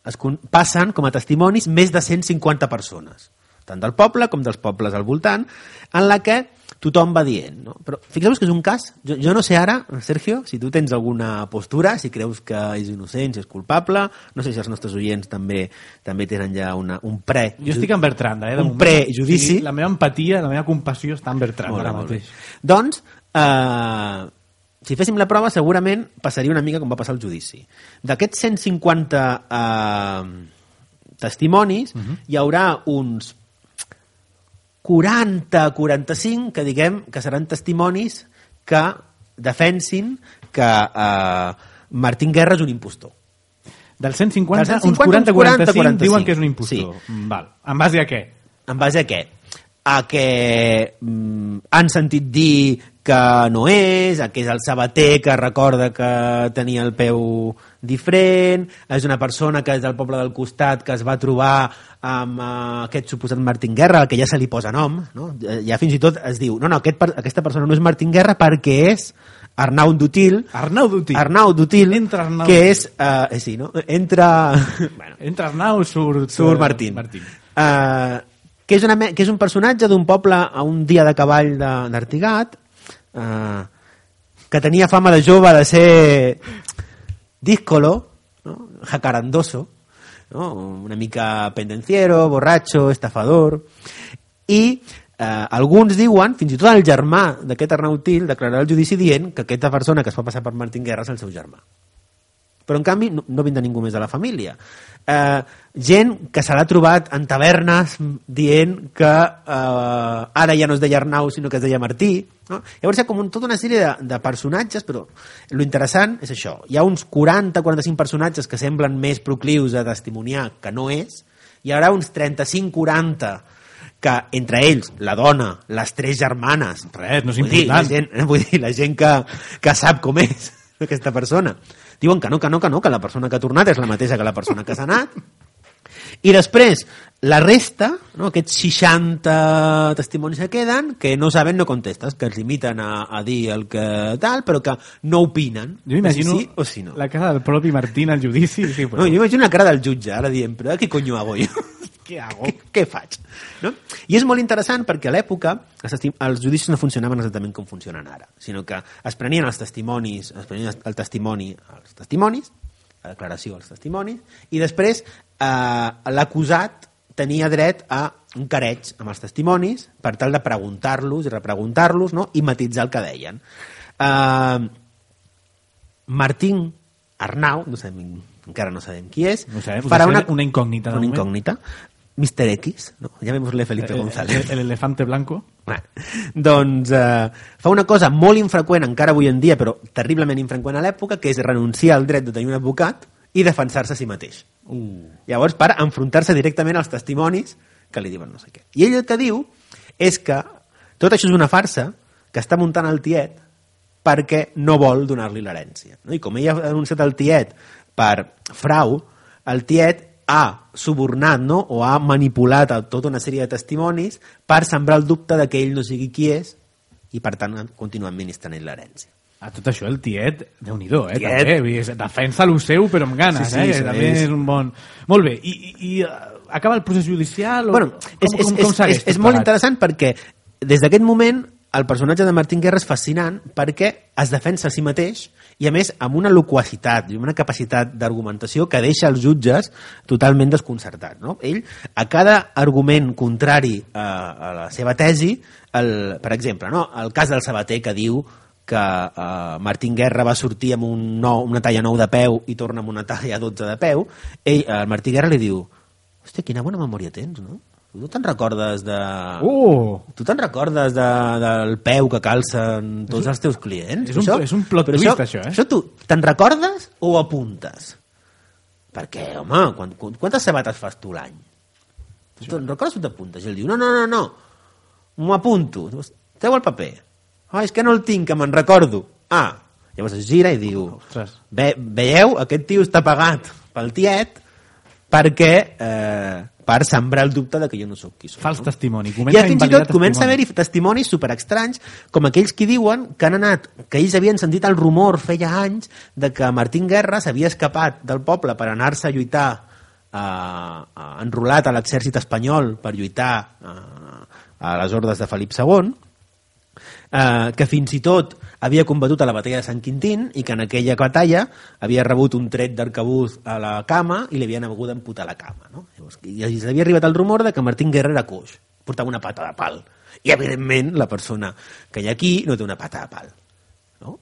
es passen com a testimonis més de cent cinquanta persones, tant del poble com dels pobles al voltant, en la que tothom va dient, no? Però fixeu-vos que és un cas, jo, jo no sé ara, Sergio, si tu tens alguna postura, si creus que és innocent, si és culpable, no sé si els nostres oients també també tenen ja una, un pre... Jo estic en Bertranda, eh? Un prejudici. Sí, la meva empatia, la meva compassió està en Bertranda ara mateix. Doncs, eh... si féssim la prova, segurament passaria una mica com va passar el judici. D'aquests cent cinquanta eh, testimonis, uh-huh. hi haurà uns quaranta a quaranta-cinc que diguem que seran testimonis que defensin que eh, Martín Guerra és un impostor. Dels cent cinquanta, Del cent cinquanta uns quaranta a quaranta-cinc quaranta-cinc diuen que és un impostor. Sí. Val. En base a què? En base a què? A que mm, han sentit dir que no és, a que és el sabater que recorda que tenia el peu diferent, és una persona que és del poble del costat que es va trobar amb uh, aquest suposat Martín Guerra, al que ja se li posa nom, no? Ja fins i tot es diu, no, no, aquest, aquesta persona no és Martín Guerra perquè és Arnau Dutil, Arnau Dutil, Arnau Dutil Entra Arnau que Dutil. és, uh, eh, sí, no? Entra... bueno, Entra Arnau, surt... surt Martín. Martín. Uh, que, és una, que és un personatge d'un poble a un dia de cavall d'Artigat, uh, que tenia fama de jove de ser díscolo, ¿no? Jacarandoso, ¿no? Una mica pendenciero, borratxo, estafador, i eh, alguns diuen, fins i tot el germà d'aquest Arnau Til declararà al judici dient que aquesta persona que es fa passar per Martín Guerra és el seu germà. Però en canvi no, no vindrà ningú més de la família. Eh, gent que se l'ha trobat en tavernes dient que eh, ara ja no es deia Arnau sinó que es deia Martí, no? Llavors hi ha com un, tota una sèrie de, de personatges, però lo interessant és això, hi ha uns quaranta a quaranta-cinc personatges que semblen més proclius a testimoniar que no és, hi haurà uns trenta-cinc a quaranta que entre ells, la dona, les tres germanes, res, no és vull dir, la important. gent, vull dir, la gent que, que sap com és aquesta persona, diuen que no, que no, que no, que la persona que ha tornat és la mateixa que la persona que s'ha anat. I després, la resta, no, aquests seixanta testimonis que queden, que no saben, no contestes, que es limiten a, a dir el que tal, però que no opinen. Jo m'imagino si sí o si no. la cara del propi Martín al judici. Sí, No, jo m'imagino la cara del jutge, ara dient, però què conyo hago jo? Què hago? Què, què faig? No? I és molt interessant perquè a l'època els, estim- els judicis no funcionaven exactament com funcionen ara, sinó que es prenien els testimonis, es prenien el testimoni als testimonis, la declaració als testimonis, i després eh, l'acusat tenia dret a un careig amb els testimonis per tal de preguntar-los i repreguntar-los, no? I matitzar el que deien. Eh, Martín Arnau, no sabem, encara no sabem qui és, No sabem, farà una, una incògnita. de una moment. incògnita. mister X, no? Llamémosle Felipe El, González. el, el elefante blanco. Bueno, doncs eh, fa una cosa molt infreqüent encara avui en dia, però terriblement infreqüent a l'època, que és renunciar al dret de tenir un advocat i defensar-se a si mateix. Uh. Llavors, per enfrontar-se directament als testimonis que li diuen no sé què. I ell el que diu és que tot això és una farsa que està muntant el tiet perquè no vol donar-li l'herència. No? I com ell ha denunciat el tiet per frau, el tiet ha subornat, no? O ha manipulat a tota una sèrie de testimonis per sembrar el dubte de que ell no sigui qui és i per tant continuar administrant l'herència. A tot això el tiet, Déu-n'hi-do, eh? Tiet. També, vull dir, defensa lo seu però amb ganes, Sí, sí, eh? sí, Que també és- és un bon... Molt bé, i, i, i uh, acaba el procés judicial? O... Bueno, és, com, com, és, com segueix és, tot és molt plegat? interessant perquè des d'aquest moment el personatge de Martín Guerra és fascinant perquè es defensa a si mateix i a més amb una loquacitat i una capacitat d'argumentació que deixa els jutges totalment desconcertats, no? Ell, a cada argument contrari a, a la seva tesi, el, per exemple, no? El cas del sabater que diu que uh, Martín Guerra va sortir amb un nou, una talla nou de peu i torna amb una talla dotze de peu, ell, el Martí Guerra li diu: hòstia, quina bona memòria tens, no? Tu te'n recordes de... Uh! Tu te'n recordes de, del peu que calcen tots els teus clients? és un- Això- és un plot però twist, això, eh? Això tu te'n recordes o ho apuntes? Perquè, home, quan, quantes sabates fas tu l'any? Tu te'n recordes o t'apuntes? I ell diu, no, no, no, no, m'ho apunto. Treu el paper. Ah, és que no el tinc, que me'n recordo. Ah, llavors es gira i diu, Ostres. Ve, veieu, aquest tio està pagat pel tiet perquè... Eh, per sembrar el dubte de que jo no sóc qui soc. Fals no? testimoni. I Comença fins i invalidar tot comença a testimoni. haver-hi testimonis superestranys, com aquells que diuen que han anat, que ells havien sentit el rumor feia anys de que Martín Guerra s'havia escapat del poble per anar-se a lluitar eh, eh, enrolat a l'exèrcit espanyol per lluitar eh, a les hordes de Felip segon, eh, que fins i tot havia combatut a la batalla de Sant Quintín i que en aquella batalla havia rebut un tret d'arcabús a la cama i li havien hagut d'amputar la cama, no? Llavors, i havia arribat el rumor de que Martín Guerra era coix, portava una pata de pal i evidentment la persona que hi ha aquí no té una pata de pal, no?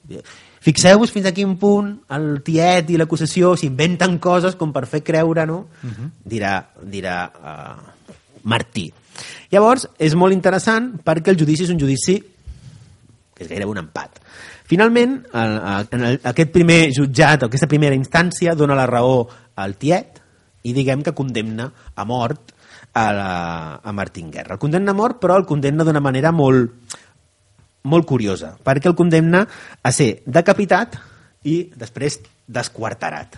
Fixeu-vos fins a quin punt el tiet i l'acusació s'inventen coses com per fer creure, no? Uh-huh. dirà, dirà uh, Martí. Llavors és molt interessant perquè el judici és un judici que és gairebé un empat. Finalment, el, en el, aquest primer jutjat, aquesta primera instància, dona la raó al tiet i diguem que condemna a mort a, la, a Martín Guerra. El condemna a mort, però el condemna d'una manera molt, molt curiosa, perquè el condemna a ser decapitat i després desquarterat.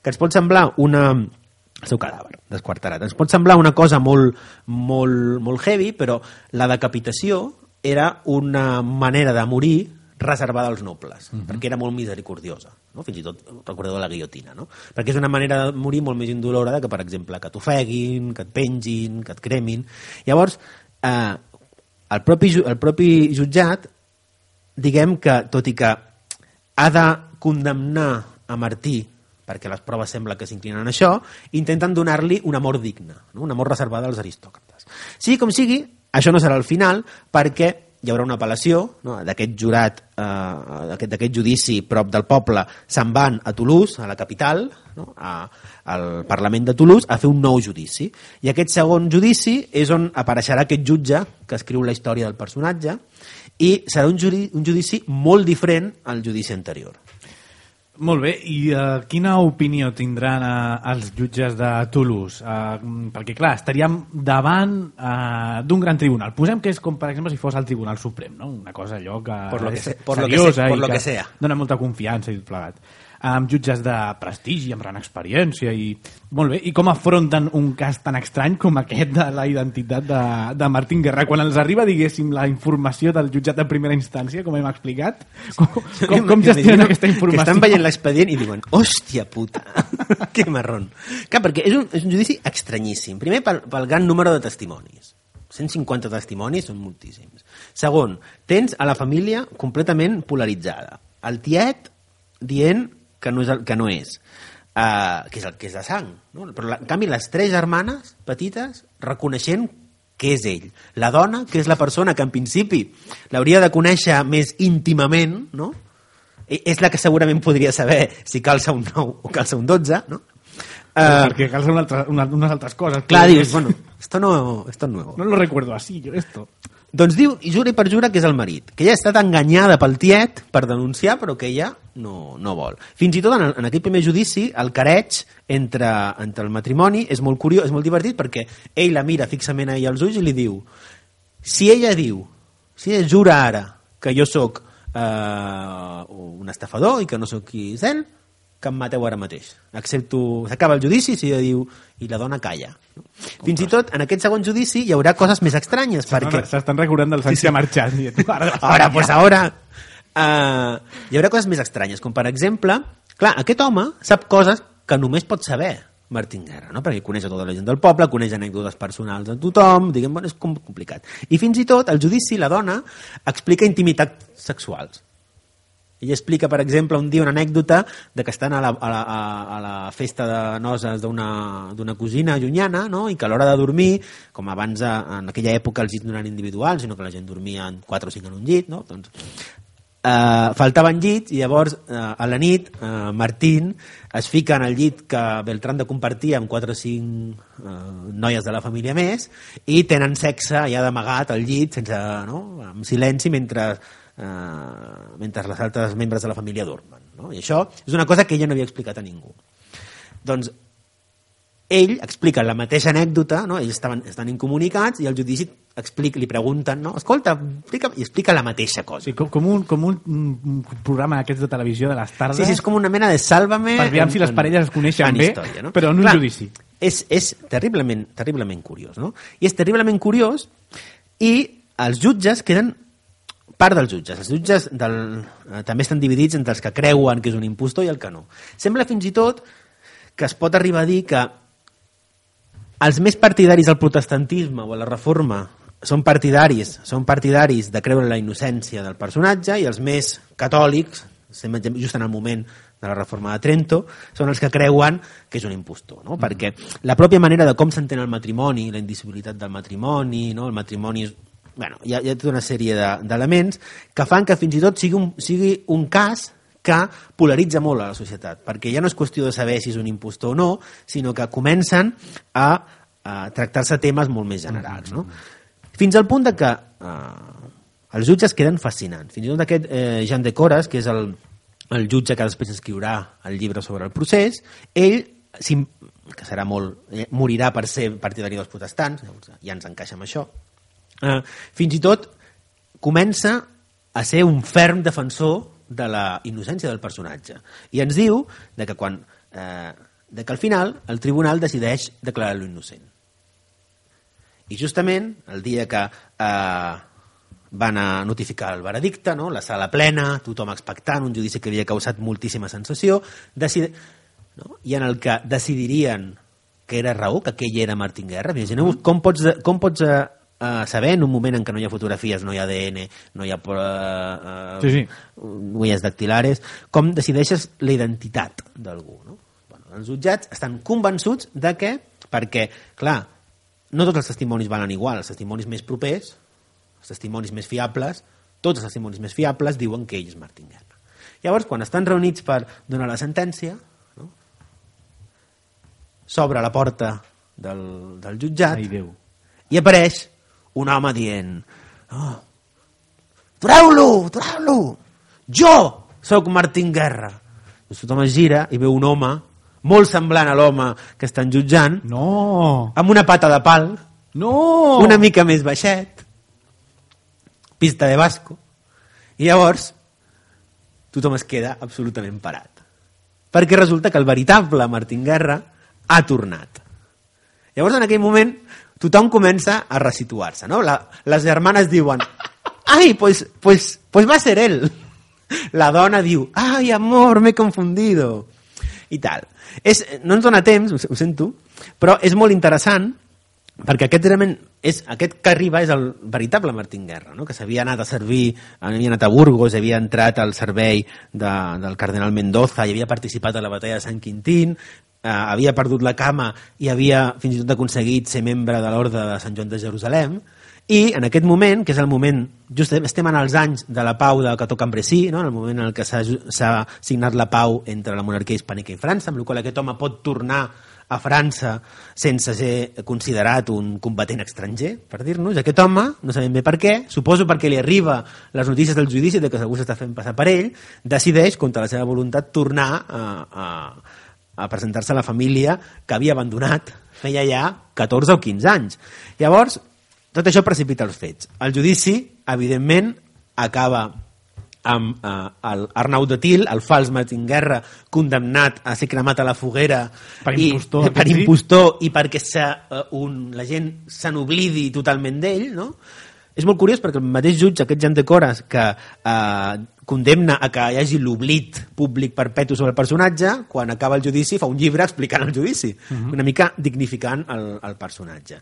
Que ens pot semblar una... el seu cadàver, desquarterat. Ens pot semblar una cosa molt, molt, molt heavy, però la decapitació era una manera de morir reservada als nobles, uh -huh. perquè era molt misericordiosa, no? Fins i tot recordeu la guillotina, no? Perquè és una manera de morir molt més indolora que, per exemple, que t'ofeguin, que et pengin, que et cremin. Llavors, eh, el, propi, el propi jutjat, diguem que, tot i que ha de condemnar a Martí perquè les proves sembla que s'inclinen a això, intenten donar-li una mort digna, no? Una mort reservada als aristòcrates. Sigui com sigui, això no serà el final, perquè hi haurà una apel·lació, no? D'aquest jurat, eh, d'aquest judici prop del poble, se'n van a Toulouse, a la capital, no? a, al Parlament de Toulouse, a fer un nou judici. I aquest segon judici és on apareixerà aquest jutge que escriu la història del personatge, i serà un, judi un judici molt diferent al judici anterior. Molt bé, i uh, quina opinió tindran uh, els jutges de Toulouse? Uh, perquè, clar, estaríem davant uh, d'un gran tribunal. Posem que és com, per exemple, si fos el Tribunal Suprem, no? Una cosa allò que por lo que és se, por seriosa lo que se, por i lo que, que sea. Dona molta confiança i tot plegat. Amb jutges de prestigi, amb gran experiència i... Molt bé, i com afronten un cas tan estrany com aquest de la identitat de, de Martín Guerra? Quan els arriba, diguéssim, la informació del jutjat de primera instància, com hem explicat, com, com, com gestionen aquesta informació? Que estan veient l'expedient i diuen, hòstia puta, que marrón. Clar, perquè és un, és un judici estranyíssim. Primer, pel, pel gran número de testimonis. cent cinquanta testimonis són moltíssims. Segon, tens a la família completament polaritzada. El tiet dient que no és, el, que no és. Uh, que és el que és de sang, no? Però la, en canvi les tres germanes petites reconeixent que és ell, la dona que és la persona que en principi l'hauria de conèixer més íntimament, no? I és la que segurament podria saber si calça un nou o calça un dotze, no? Uh, perquè calça una altra, una, unes altres coses. Clar, dius, bueno, esto no, esto es nuevo. No lo recuerdo así, yo esto. Doncs diu, i jura i perjura que és el marit, que ella ha estat enganyada pel tiet per denunciar, però que ella no, no vol. Fins i tot en, en aquell primer judici, el careig entre, entre el matrimoni és molt curiós, és molt divertit, perquè ell la mira fixament a ella als ulls i li diu, si ella diu, si ella jura ara que jo sóc eh, un estafador i que no sóc qui és ell, que em mateu ara mateix. Accepto... S'acaba el judici si ella diu... I la dona calla. No? Fins i tot, en aquest segon judici hi haurà coses més estranyes. Perquè... S'estan recordant del Sánchez sí, sí. marxant. Ara, ara, pues ara... Uh, hi haurà coses més estranyes, com per exemple... Clar, aquest home sap coses que només pot saber Martín Guerra, no? Perquè coneix a tota la gent del poble, coneix anècdotes personals de tothom, diguem, bueno, és complicat. I fins i tot, al judici, la dona explica intimitats sexuals. Ella explica, per exemple, un dia una anècdota de que estan a la, a la, a la festa de noces d'una cosina llunyana, no? I que a l'hora de dormir, com abans en aquella època els llits no eren individuals, sinó que la gent dormia en quatre o cinc en un llit, no? Doncs, eh, faltaven llits i llavors eh, a la nit eh, Martín es fica en el llit que Beltrán de compartia amb quatre o cinc eh, noies de la família més i tenen sexe ja d'amagat al llit, sense, no? En silenci, mentre... Uh, mentre les altres membres de la família dormen, no? I això és una cosa que ella no havia explicat a ningú. Doncs ell explica la mateixa anècdota, no? Ells estaven, estan incomunicats i al judici explica, li pregunten, no? Escolta, explica, i explica la mateixa cosa. Sí, com, com, un, com un, un programa d'aquests de televisió de les tardes. Sí, sí, és com una mena de Sálvame per veure si les parelles es coneixen bé, història, no? Però en un Clar, judici. És, és terriblement, terriblement curiós, no? I és terriblement curiós i els jutges queden part dels jutges. Els jutges del, eh, també estan dividits entre els que creuen que és un impostor i el que no. Sembla fins i tot que es pot arribar a dir que els més partidaris del protestantisme o a la reforma són partidaris, són partidaris de creure la innocència del personatge i els més catòlics, just en el moment de la reforma de Trento, són els que creuen que és un impostor, no? Mm. Perquè la pròpia manera de com s'entén el matrimoni, la indissolubilitat del matrimoni, no? El matrimoni és Bueno, hi ha, hi ha tota una sèrie d'elements de, que fan que fins i tot sigui un, sigui un cas que polaritza molt a la societat, perquè ja no és qüestió de saber si és un impostor o no, sinó que comencen a, a tractar-se temes molt més generals, no? Fins al punt de que eh, els jutges queden fascinants. Fins i tot aquest eh, Jean de Coras, que és el, el jutge que després escriurà el llibre sobre el procés, ell, que serà molt, eh, morirà per ser partidari dels protestants, ja ens encaixa amb això, Uh, fins i tot comença a ser un ferm defensor de la innocència del personatge i ens diu de que, quan, uh, de que al final el tribunal decideix declarar-lo innocent i justament el dia que uh, van a notificar el veredicte, no? La sala plena, tothom expectant, un judici que havia causat moltíssima sensació, decid... no? I en el que decidirien que era Raül, que aquell era Martín Guerra. Imagineu com pots, com pots uh, uh, saber en un moment en què no hi ha fotografies, no hi ha A D N, no hi ha uh, uh, sí, sí. huelles dactilares, com decideixes la identitat d'algú, no? Bueno, els jutjats estan convençuts de que, perquè, clar, no tots els testimonis valen igual, els testimonis més propers, els testimonis més fiables, tots els testimonis més fiables diuen que ell és Martín Guerra. Llavors, quan estan reunits per donar la sentència, no? S'obre la porta del, del jutjat. Ai, Déu. I apareix un home dient oh, atureu-lo, atureu-lo, jo sóc Martín Guerra. I tothom es gira i veu un home molt semblant a l'home que estan jutjant, no, amb una pata de pal, no, una mica més baixet, pista de basco, i llavors tothom es queda absolutament parat. Perquè resulta que el veritable Martín Guerra ha tornat. Llavors, en aquell moment, tothom comença a resituar-se, no? La, les germanes diuen ai, pues, pues, pues va ser él. La dona diu ai, amor, m'he confundido. I tal. És, no ens dona temps, ho sento, però és molt interessant perquè aquest realment és, aquest que arriba és el veritable Martín Guerra, no? Que s'havia anat a servir, havia anat a Burgos, havia entrat al servei de, del cardenal Mendoza i havia participat a la batalla de Sant Quintín, eh, havia perdut la cama i havia fins i tot aconseguit ser membre de l'Orde de Sant Joan de Jerusalem, i en aquest moment, que és el moment, just estem en els anys de la pau de Cateau-Cambrésis, no? En el moment en el que s'ha signat la pau entre la monarquia hispànica i França, amb la qual aquest home pot tornar a França sense ser considerat un combatent estranger, per dir-nos. Aquest home, no sabem bé per què, suposo perquè li arriba les notícies del judici de que algú s'està fent passar per ell, decideix, contra la seva voluntat, tornar a, a, a presentar-se a la família que havia abandonat feia ja catorze o quinze anys. Llavors, tot això precipita els fets. El judici, evidentment, acaba amb eh, Arnau de Til, el fals Martín Guerra, condemnat a ser cremat a la foguera per i, impostor, per impostor i perquè se, uh, un, la gent se n'oblidi totalment d'ell, no? És molt curiós perquè el mateix jutge, aquest Jean de Coras, que eh, condemna a que hi hagi l'oblit públic perpetu sobre el personatge, quan acaba el judici fa un llibre explicant el judici, uh-huh. una mica dignificant el, el personatge.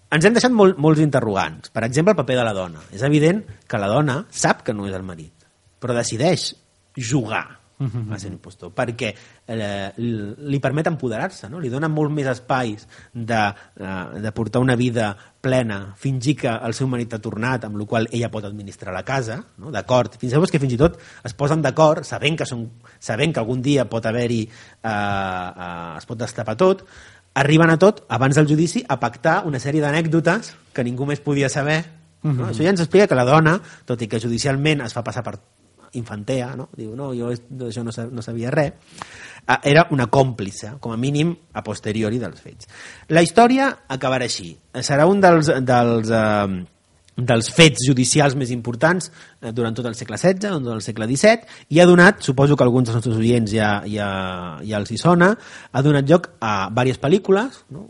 Ens hem deixat molt, molts interrogants. Per exemple, el paper de la dona. És evident que la dona sap que no és el marit, però decideix jugar uh-huh. a ser impostor, perquè eh, li permet empoderar-se, no? Li dona molt més espais de, eh, de portar una vida plena, fingir que el seu marit ha tornat, amb la qual ella pot administrar la casa, no? D'acord, fins llavors que fins i tot es posen d'acord, sabent que, són, sabent que algun dia pot haver-hi eh, eh, es pot destapar tot, arriben a tot, abans del judici, a pactar una sèrie d'anècdotes que ningú més podia saber. No? Uh-huh. Això ja ens explica que la dona, tot i que judicialment es fa passar per infantea, no? Diu, no, jo això no, no sabia res, era una còmplice, com a mínim a posteriori dels fets. La història acabarà així. Serà un dels, dels, eh, dels fets judicials més importants eh, durant tot el segle setze, durant el segle disset, i ha donat, suposo que alguns dels nostres oients ja, ja, ja els hi sona, ha donat lloc a diverses pel·lícules, no?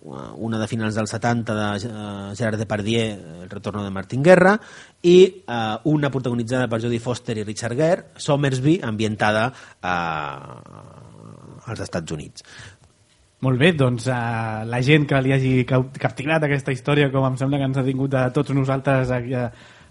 Una de finals dels setanta de uh, Gerard Depardieu, El retorno de Martín Guerra, i uh, una protagonitzada per Jodie Foster i Richard Gere, Somersby, ambientada uh, als Estats Units. Molt bé, doncs uh, la gent que li hagi captivat aquesta història, com em sembla que ens ha tingut a tots nosaltres aquí,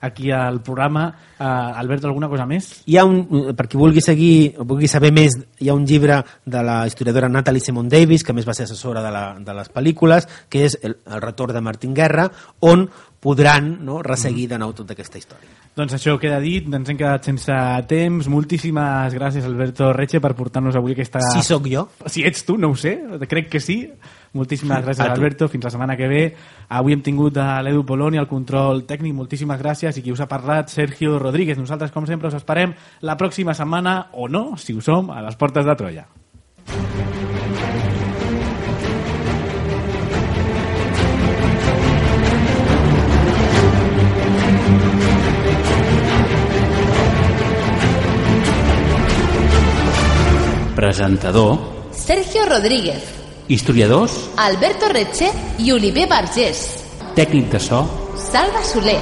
aquí al programa. Uh, Alberto, alguna cosa més? Hi ha un, per qui vulgui seguir, vulgui saber més, hi ha un llibre de la historiadora Natalie Simon Davis, que més va ser assessora de, la, de les pel·lícules, que és el, el retorn de Martín Guerra, on podran, no, resseguir de nou tota aquesta història. Doncs això queda dit, ens hem quedat sense temps. Moltíssimes gràcies, Alberto Reche, per portar-nos avui aquesta... Si sóc jo? Si ets tu, no ho sé, crec que sí. Moltíssimes gràcies, Alberto, fins la setmana que ve. Avui hem tingut a l'Edu Poloni, al control tècnic, moltíssimes gràcies, i qui us ha parlat, Sergio Rodríguez. Nosaltres, com sempre, us esperem la pròxima setmana, o no, si ho som, a les portes de Troia. Presentador Sergio Rodríguez. Historiadors Alberto Reche i Oliver Vergés. Tècnic de so Salva Soler.